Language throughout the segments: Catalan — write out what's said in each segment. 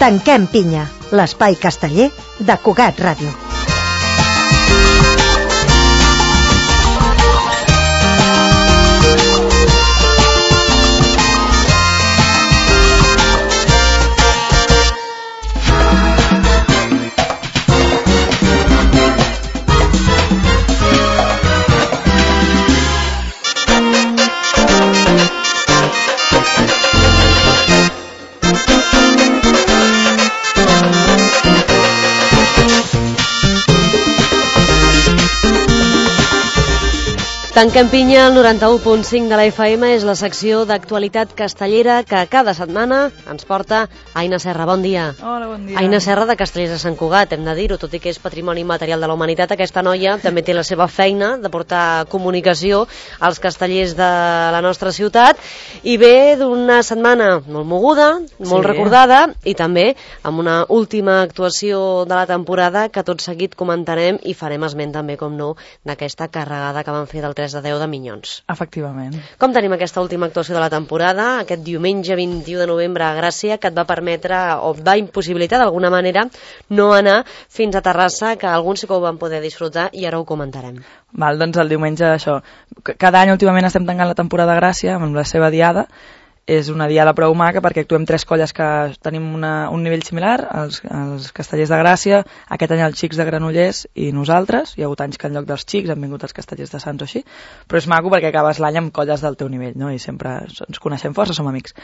Tanquem pinya, l'espai casteller de Cugat Ràdio. Tanquem pinya, el 91.5 de la FM és la secció d'actualitat castellera que cada setmana ens porta Aina Serra. Bon dia. Hola, bon dia. Aina Serra de Castellers de Sant Cugat, hem de dir-ho, tot i que és patrimoni immaterial de la humanitat, aquesta noia també té la seva feina de portar comunicació als castellers de la nostra ciutat i ve d'una setmana molt moguda, molt recordada i també amb una última actuació de la temporada que tot seguit comentarem i farem esment també, com no, d'aquesta carregada que van fer del 3 de 10 de Minyons. Efectivament. Com tenim aquesta última actuació de la temporada, aquest diumenge 21 de novembre a Gràcia, que et va permetre o et va impossibilitar d'alguna manera no anar fins a Terrassa, que alguns sí que ho van poder disfrutar i ara ho comentarem. Val, doncs el diumenge això. Cada any últimament estem tancant la temporada a Gràcia amb la seva diada. És una diada prou maca perquè actuem 3 colles que tenim un nivell similar, els castellers de Gràcia, aquest any els xics de Granollers i nosaltres. Hi ha hagut anys que en lloc dels xics han vingut els castellers de Sants o així, però és maco perquè acabes l'any amb colles del teu nivell, no? I sempre ens coneixem força, som amics.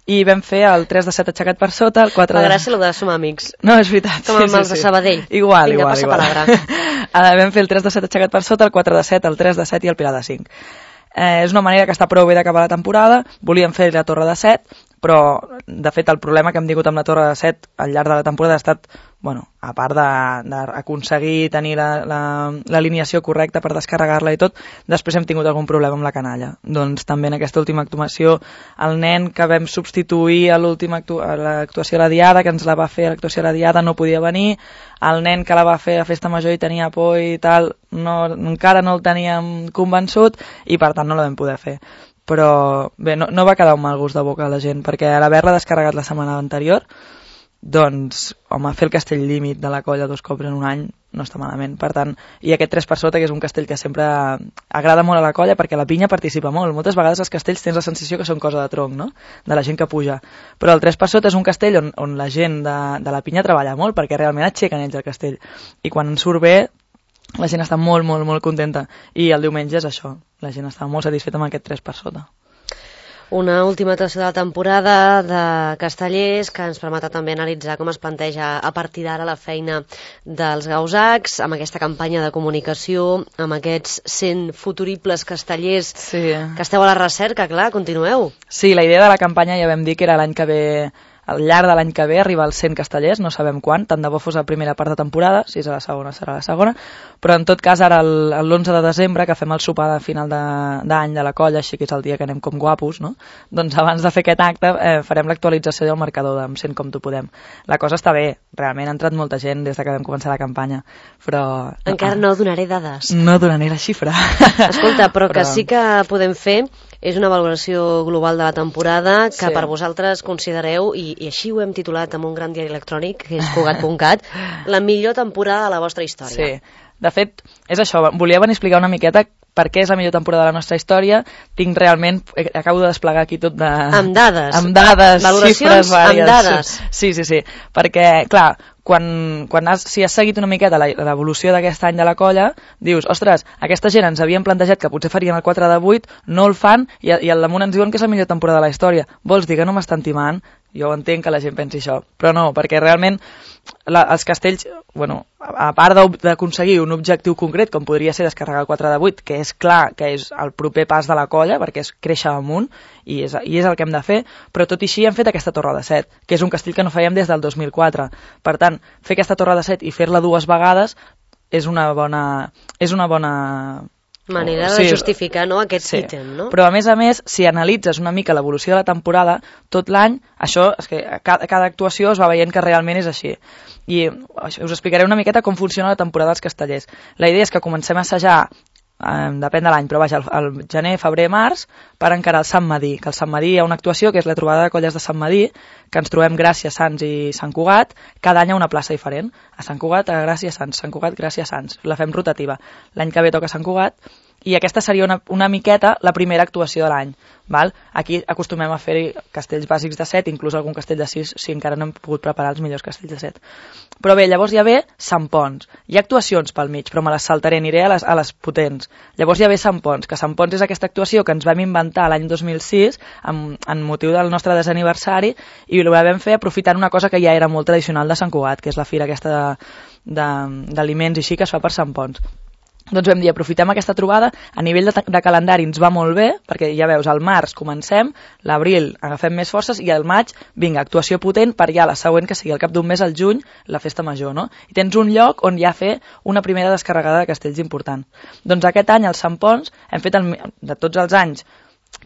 I vam fer el 3 de 7 aixecat per sota, el 4 de... A Gràcia, el de som amics. No, és veritat. Com amb els de Sabadell. Igual, Vinga, igual. Passa palabra. Vam fer el 3 de 7 aixecat per sota, el 4 de 7, el 3 de 7 i el Pilar de 5. És una manera que està prou bé d'acabar la temporada. Volíem fer la Torre de 7, però de fet el problema que hem tingut amb la Torre de 7 al llarg de la temporada ha estat, bueno, a part d'aconseguir tenir l'alineació correcta per descarregar-la i tot, després hem tingut algun problema amb la canalla. Doncs també en aquesta última actuació el nen que vam substituir a l'actuació a la Diada, que ens la va fer a l'actuació a la Diada, no podia venir. El nen que la va fer a Festa Major i tenia por i tal, encara no el teníem convençut i per tant no la vam poder fer. Però bé, no va quedar un mal gust de boca a la gent, perquè a l'haver-la descarregat la setmana anterior, doncs, home, fer el castell límit de la colla 2 cops en un any no està malament. Per tant, i aquest 3 per sota, que és un castell que sempre agrada molt a la colla, perquè la pinya participa molt. Moltes vegades els castells tens la sensació que són cosa de tronc, no?, de la gent que puja. Però el 3 per sota és un castell on la gent de la pinya treballa molt, perquè realment aixequen ells el castell. I quan surt bé, la gent està molt, molt, molt contenta. I el diumenge és això, la gent està molt satisfeta amb aquest 3 per sota. Una última actuació de la temporada de Castellers que ens permetrà també analitzar com es planteja a partir d'ara la feina dels gausacs, amb aquesta campanya de comunicació, amb aquests 100 futuribles castellers que esteu a la recerca, clar, continueu. Sí, la idea de la campanya ja vam dir que era l'any que ve, al llarg de l'any que ve arriba als 100 castellers, no sabem quan, tant de bo fos la primera part de temporada, si és a la segona serà la segona, però en tot cas ara l'11 de desembre, que fem el sopar de final d'any de la colla, així que és el dia que anem com guapos, no? Doncs abans de fer aquest acte farem l'actualització del marcador d'Am 100 com tu podem. La cosa està bé, realment ha entrat molta gent des que vam començar la campanya, però... Encara no donaré dades. No donaré la xifra. Escolta, però que sí que podem fer és una valoració global de la temporada que per vosaltres considereu, i així ho hem titulat amb un gran diari electrònic, que és Cugat.cat, la millor temporada de la vostra història. Sí, de fet, és això, volia venir a explicar una miqueta per què és la millor temporada de la nostra història. Tinc realment, acabo de desplegar aquí tot de... Amb dades. Amb dades, xifres vàries. Amb dades. Sí, perquè, clar, si has seguit una miqueta l'evolució d'aquest any de la colla, dius, ostres, aquesta gent ens havien plantejat que potser farien el 4 de 8, no el fan, i al damunt ens diuen que és la millor temporada de la història. Vols dir que no m'estan timant? Jo entenc que la gent pensi això, però no, perquè realment els castells, bueno, a part d'aconseguir un objectiu concret, com podria ser descarregar el 4 de 8, que és clar que és el proper pas de la colla, perquè és créixer amunt, i és el que hem de fer, però tot i així hem fet aquesta Torre de 7, que és un castell que no fèiem des del 2004. Per tant, fer aquesta Torre de 7 i fer-la 2 vegades és una bona manera de justificar, no, aquest ítem, no? Però a més, si analitzes una mica l'evolució de la temporada, tot l'any, això, és que cada actuació es va veient que realment és així. I us explicaré una miqueta com funciona la temporada dels castellers. La idea és que comencem a assajar depèn de l'any, però vaja, el gener, febrer, març, per encarar el Sant Madí, que el Sant Madí hi ha una actuació que és la trobada de colles de Sant Madí, que ens trobem Gràcia, Sants i Sant Cugat, cada any a una plaça diferent. A Sant Cugat, a Gràcia, Sants, Sant Cugat, Gràcia, Sants. La fem rotativa. L'any que ve toca Sant Cugat, i aquesta seria una miqueta la primera actuació de l'any. Aquí acostumem a fer castells bàsics de 7, inclús algun castell de 6, si encara no hem pogut preparar els millors castells de 7. Però bé, llavors ja ve Sant Ponç. Hi ha actuacions pel mig, però me les saltaré, aniré a les potents. Llavors ja ve Sant Ponç, que Sant Ponç és aquesta actuació que ens vam inventar l'any 2006 en motiu del nostre desaniversari, i ho vam fer aprofitant una cosa que ja era molt tradicional de Sant Cugat, que és la fira aquesta d'aliments i així que es fa per Sant Ponç. Doncs vam dir, aprofitem aquesta trobada, a nivell de calendari ens va molt bé, perquè ja veus, al març comencem, l'abril agafem més forces i al maig, vinga, actuació potent per ja la següent, que sigui al cap d'un mes, al juny, la festa major, no? I tens un lloc on ja fer una primera descarregada de castells important. Doncs aquest any, al Sant Ponç, hem fet de tots els anys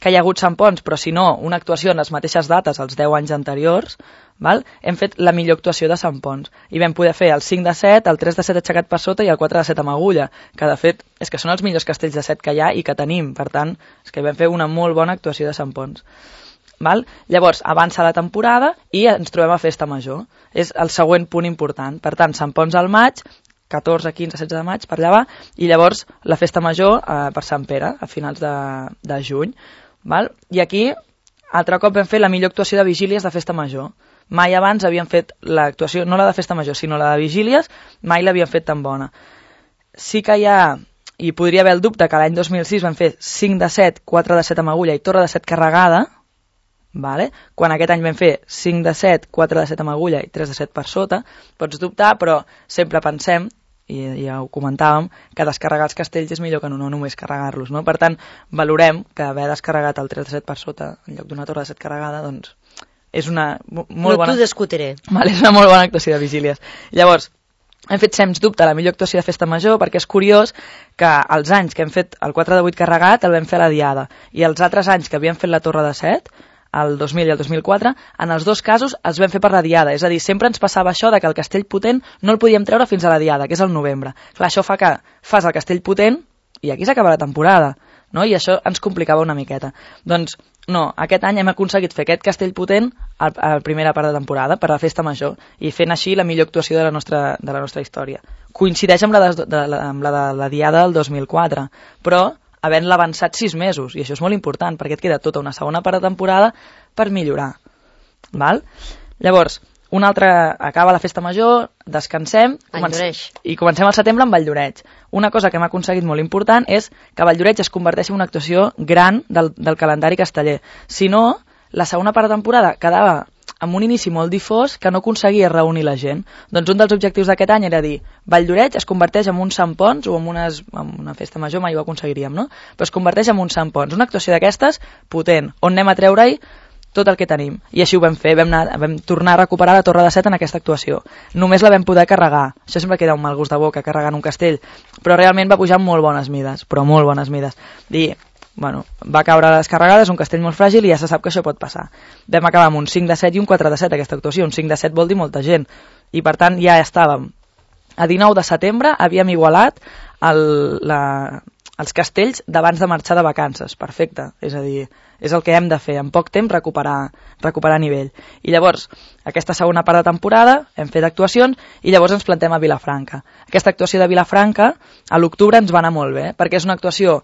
que hi ha hagut Sant Ponç, però si no, una actuació en les mateixes dates, els 10 anys anteriors, hem fet la millor actuació de Sant Ponç. I vam poder fer el 5 de 7, el 3 de 7 aixecat per sota i el 4 de 7 amb agulla, que de fet és que són els millors castells de 7 que hi ha i que tenim. Per tant, és que vam fer una molt bona actuació de Sant Ponç. Llavors, avança la temporada i ens trobem a Festa Major. És el següent punt important. Per tant, Sant Ponç al maig, 14, 15, 16 de maig, per allà va, i llavors la Festa Major per Sant Pere, a finals de juny. I aquí, altre cop vam fer la millor actuació de vigílies de Festa Major. Mai abans havíem fet l'actuació, no la de Festa Major, sinó la de vigílies, mai l'havíem fet tan bona. Sí que hi ha, i podria haver el dubte, que l'any 2006 vam fer 5 de 7, 4 de 7 amb agulla i torre de 7 carregada, quan aquest any vam fer 5 de 7, 4 de 7 amb agulla i 3 de 7 per sota, pots dubtar, però sempre pensem, i ja ho comentàvem, que descarregar els castells és millor que no només carregar-los, no? Per tant, valorem que haver descarregat el 3 de 7 per sota en lloc d'una torre de 7 carregada, doncs és una molt bona... No t'ho discutiré. És una molt bona actuació de vigílies. Llavors, hem fet sens dubte la millor actuació de Festa Major, perquè és curiós que els anys que hem fet el 4 de 8 carregat el vam fer a la Diada, i els altres anys que havíem fet la torre de 7, el 2000 i el 2004, en els dos casos els vam fer per la Diada. És a dir, sempre ens passava això de que el castell potent no el podíem treure fins a la Diada, que és el novembre. Clar, això fa que fas el castell potent i aquí s'acaba la temporada, no? I això ens complicava una miqueta. Doncs no, aquest any hem aconseguit fer aquest castell potent a la primera part de temporada, per la Festa Major, i fent així la millor actuació de la nostra història. Coincideix amb la de la Diada del 2004, però havent-la avançat 6 mesos, i això és molt important, perquè et queda tota una segona part de temporada per millorar. Llavors, acaba la Festa Major, descansem, i comencem al setembre amb Valldoreix. Una cosa que hem aconseguit molt important és que Valldoreix es converteixi en una actuació gran del calendari casteller. Si no, la segona part de temporada quedava amb un inici molt difós que no aconseguia reunir la gent. Doncs un dels objectius d'aquest any era dir, Valldoreix es converteix en un Sant Ponç, o en una Festa Major mai ho aconseguiríem, no? Però es converteix en un Sant Ponç, una actuació d'aquestes potent, on anem a treure-hi tot el que tenim. I així ho vam fer, vam tornar a recuperar la Torre de 7 en aquesta actuació. Només la vam poder carregar. Això sempre queda un mal gust de boca, carregant un castell, però realment va pujar amb molt bones mides, va caure a les carregades, un castell molt fràgil, i ja se sap que això pot passar. Vam acabar amb un 5 de 7 i un 4 de 7 aquesta actuació. Un 5 de 7 vol dir molta gent, i per tant ja estàvem. A 19 de setembre havíem igualat els castells d'abans de marxar de vacances. Perfecte, és a dir, és el que hem de fer, en poc temps recuperar nivell. I llavors, aquesta segona part de temporada hem fet actuacions i llavors ens plantem a Vilafranca. Aquesta actuació de Vilafranca a l'octubre ens va anar molt bé, perquè és una actuació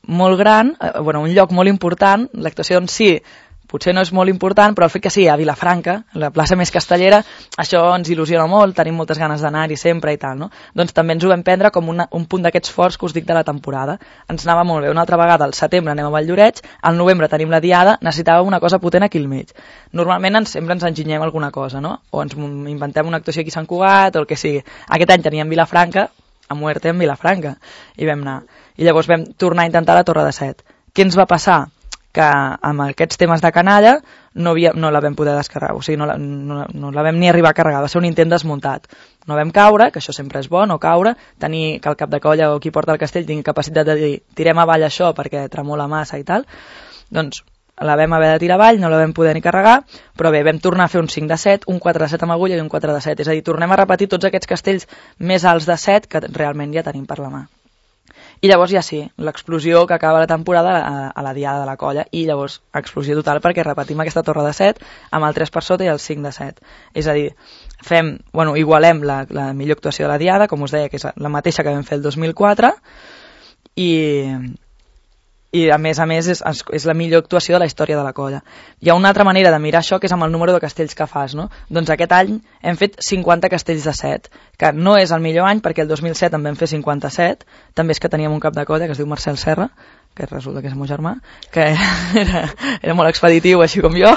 molt gran, un lloc molt important. L'actuació en si potser no és molt important, però el fet que sigui a Vilafranca, la plaça més castellera, això ens il·lusiona molt, tenim moltes ganes d'anar-hi sempre i tal, no? Doncs també ens ho vam prendre com un punt d'aquests forts que us dic de la temporada. Ens anava molt bé. Una altra vegada, al setembre anem a Valldoreix, al novembre tenim la Diada, necessitàvem una cosa potent aquí al mig. Normalment sempre ens enginyem alguna cosa, no? O ens inventem una actuació aquí a Sant Cugat, o el que sigui. Aquest any teníem Vilafranca, a muerte en Vilafranca, i vam anar. I llavors vam tornar a intentar la Torre de 7. Què ens va passar? Que amb aquests temes de canalla no la vam poder descarregar, o sigui, no la vam ni arribar a carregar, va ser un intent desmuntat. No vam caure, que això sempre és bo, no caure, tenir que el cap de colla o qui porta el castell tingui capacitat de dir tirem avall això perquè tremola massa i tal, doncs la vam haver de tirar avall, no la vam poder ni carregar, però bé, vam tornar a fer un 5 de 7, un 4 de 7 amb agulla i un 4 de 7, és a dir, tornem a repetir tots aquests castells més alts de 7 que realment ja tenim per la mà. I llavors ja sí, l'explosió que acaba la temporada a la diada de la colla, i llavors explosió total perquè repetim aquesta torre de 7 amb el 3 per sota i el 5 de 7. És a dir, igualem la millor actuació de la diada, com us deia, que és la mateixa que vam fer el 2004, i a més és la millor actuació de la història de la colla. Hi ha una altra manera de mirar això, que és amb el número de castells que fas, no? Doncs aquest any hem fet 50 castells de 7, que no és el millor any perquè el 2007 en vam fer 57, també és que teníem un cap de colla que es diu Marcel Serra, que resulta que és el meu germà, que era molt expeditiu, així com jo,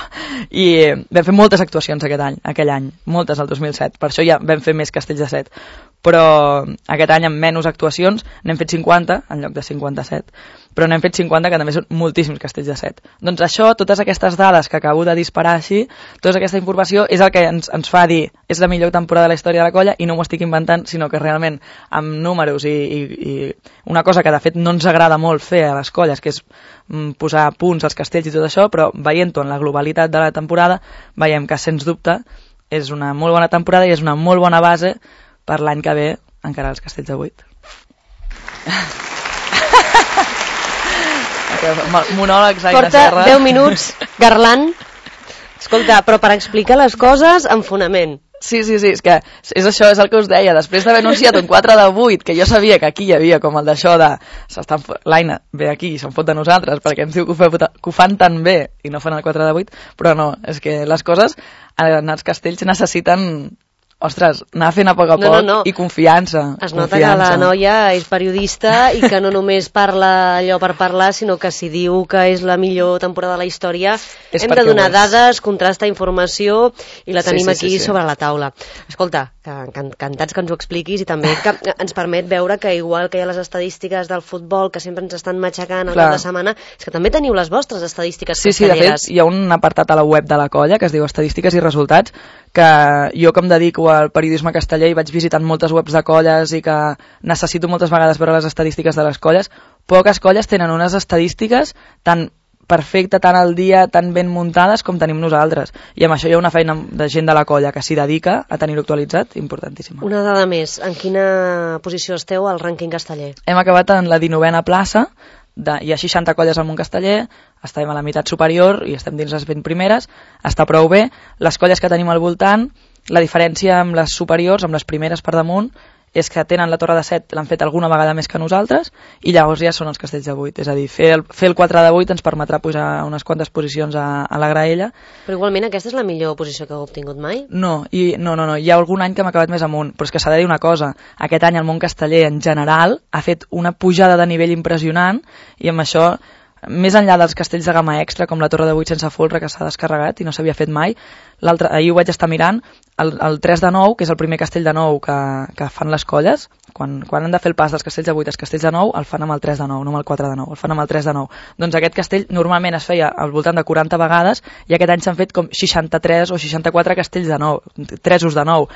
i vam fer moltes actuacions aquell any, moltes al 2007, per això ja vam fer més castells de 7, però aquest any amb menys actuacions n'hem fet 50 en lloc de 57, però n'hem fet 50 que també són moltíssims castells de 7. Doncs això, totes aquestes dades que acabo de disparar així, tota aquesta informació és el que ens fa dir és la millor temporada de la història de la colla, i no m'ho estic inventant, sinó que realment amb números i una cosa que de fet no ens agrada molt fer a les colles, que és posar punts als castells i tot això, però veient-ho en la globalitat de la temporada veiem que sens dubte és una molt bona temporada i és una molt bona base per l'any que ve encara els castells de 8. Monòlegs d'aire serra. Porta 10 minuts garlant. Escolta, però per explicar les coses amb fonament. Sí, és que és això, és el que us deia. Després d'haver anunciat un 4 de 8, que jo sabia que aquí hi havia com el d'això de l'Aina ve aquí i se'n fot de nosaltres perquè ens diu que ho fan tan bé i no fan el 4 de 8, però no, és que les coses en els castells necessiten... Ostres, anar fent a poc a poc i confiança. Es nota que la noia és periodista i que no només parla allò per parlar, sinó que si diu que és la millor temporada de la història, hem de donar dades, contrastar informació i la tenim aquí sobre la taula. Escolta, encantats que ens ho expliquis i també que ens permet veure que igual que hi ha les estadístiques del futbol que sempre ens estan matxacant al cap de setmana, és que també teniu les vostres estadístiques castelleres. Sí, de fet, hi ha un apartat a la web de la colla que es diu Estadístiques i Resultats, que jo que em dedico al periodisme casteller i vaig visitant moltes webs de colles i que necessito moltes vegades veure les estadístiques de les colles, poques colles tenen unes estadístiques tan perfectes, tan al dia, tan ben muntades com tenim nosaltres. I amb això hi ha una feina de gent de la colla que s'hi dedica a tenir-ho actualitzat, importantíssima. Una dada més, en quina posició esteu al rànquing casteller? Hem acabat en la 19a plaça, hi ha 60 colles al món casteller, estem a la meitat superior i estem dins les 20 primeres, està prou bé. Les colles que tenim al voltant, la diferència amb les superiors, amb les primeres per damunt, és que tenen la torre de 7, l'han fet alguna vegada més que nosaltres, i llavors ja són els castells de 8. És a dir, fer el 4 de 8 ens permetrà pujar unes quantes posicions a la graella. Però igualment aquesta és la millor posició que heu obtingut mai? No, hi ha algun any que hem acabat més amunt, però és que s'ha de dir una cosa, aquest any el món casteller en general ha fet una pujada de nivell impressionant, i amb això, més enllà dels castells de gamma extra, com la torre de 8 sense folre, que s'ha descarregat i no s'havia fet mai, ahir ho vaig estar mirant, el 3 de 9, que és el primer castell de 9 que fan les colles, quan han de fer el pas dels castells de 8 als castells de 9, el fan amb el 3 de 9, no amb el 4 de 9, el fan amb el 3 de 9. Doncs aquest castell normalment es feia al voltant de 40 vegades i aquest any s'han fet com 63 o 64 castells de 9, 3 de 9.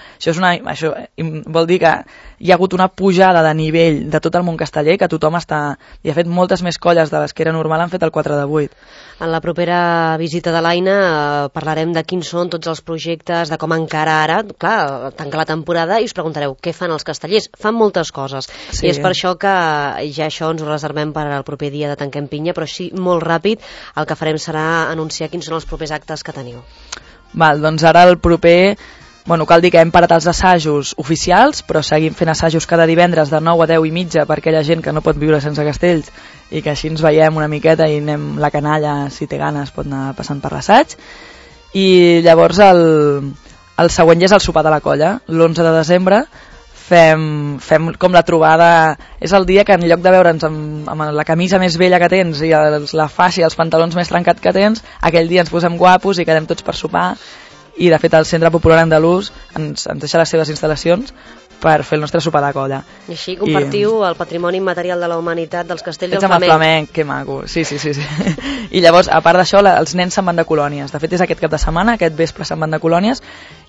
Això vol dir que hi ha hagut una pujada de nivell de tot el món casteller, que tothom està... I ha fet moltes més colles de les que era normal, han fet el 4 de 8. En la propera visita de l'Aina parlarem de quins són tots els projectes, de com encara ara, clar, tanca la temporada i us preguntareu què fan els castellers. Fan moltes coses, i és per això que ja això ens ho reservem per al proper dia de Tanquem Pinya, però sí, molt ràpid, el que farem serà anunciar quins són els propers actes que teniu. Doncs ara el proper... cal dir que hem parat els assajos oficials, però seguim fent assajos cada divendres de 9 a 10 i mitja per aquella gent que no pot viure sense castells i que així ens veiem una miqueta i anem la canalla, si té ganes, pot anar passant per l'assaig. I llavors el següent ja és el sopar de la colla, l'11 de desembre, fem com la trobada, és el dia que en lloc de veure'ns amb la camisa més vella que tens i la faixa i els pantalons més trencats que tens, aquell dia ens posem guapos i quedem tots per sopar. I de fet el Centre Popular Andalús ens deixa les seves instal·lacions per fer el nostre sopar de colla. I així compartiu el patrimoni immaterial de la humanitat dels castells del flamenc. Ets amb el flamenc, que maco, sí. I llavors, a part d'això, els nens se'n van de colònies. De fet, és aquest cap de setmana, aquest vespre se'n van de colònies,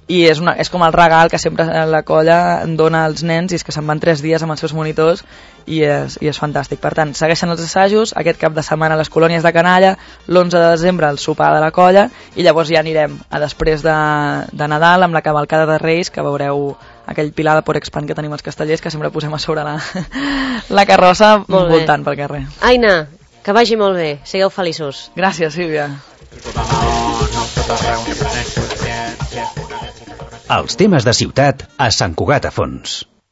i és com el regal que sempre la colla dona als nens, i és que se'n van 3 dies amb els seus monitors, i és fantàstic. Per tant, segueixen els assajos, aquest cap de setmana a les colònies de canalla, l'11 de desembre el sopar de la colla, i llavors ja anirem a després de Nadal amb la cavalcada de Reis, que veureu aquell pilar de Porexpan que tenim els castellers, que sempre posem a sobre la carrossa voltant pel carrer. Aina, que vagi molt bé, sigueu feliços. Gràcies, Sílvia. Els temes de ciutat a Sant Cugat a Fons.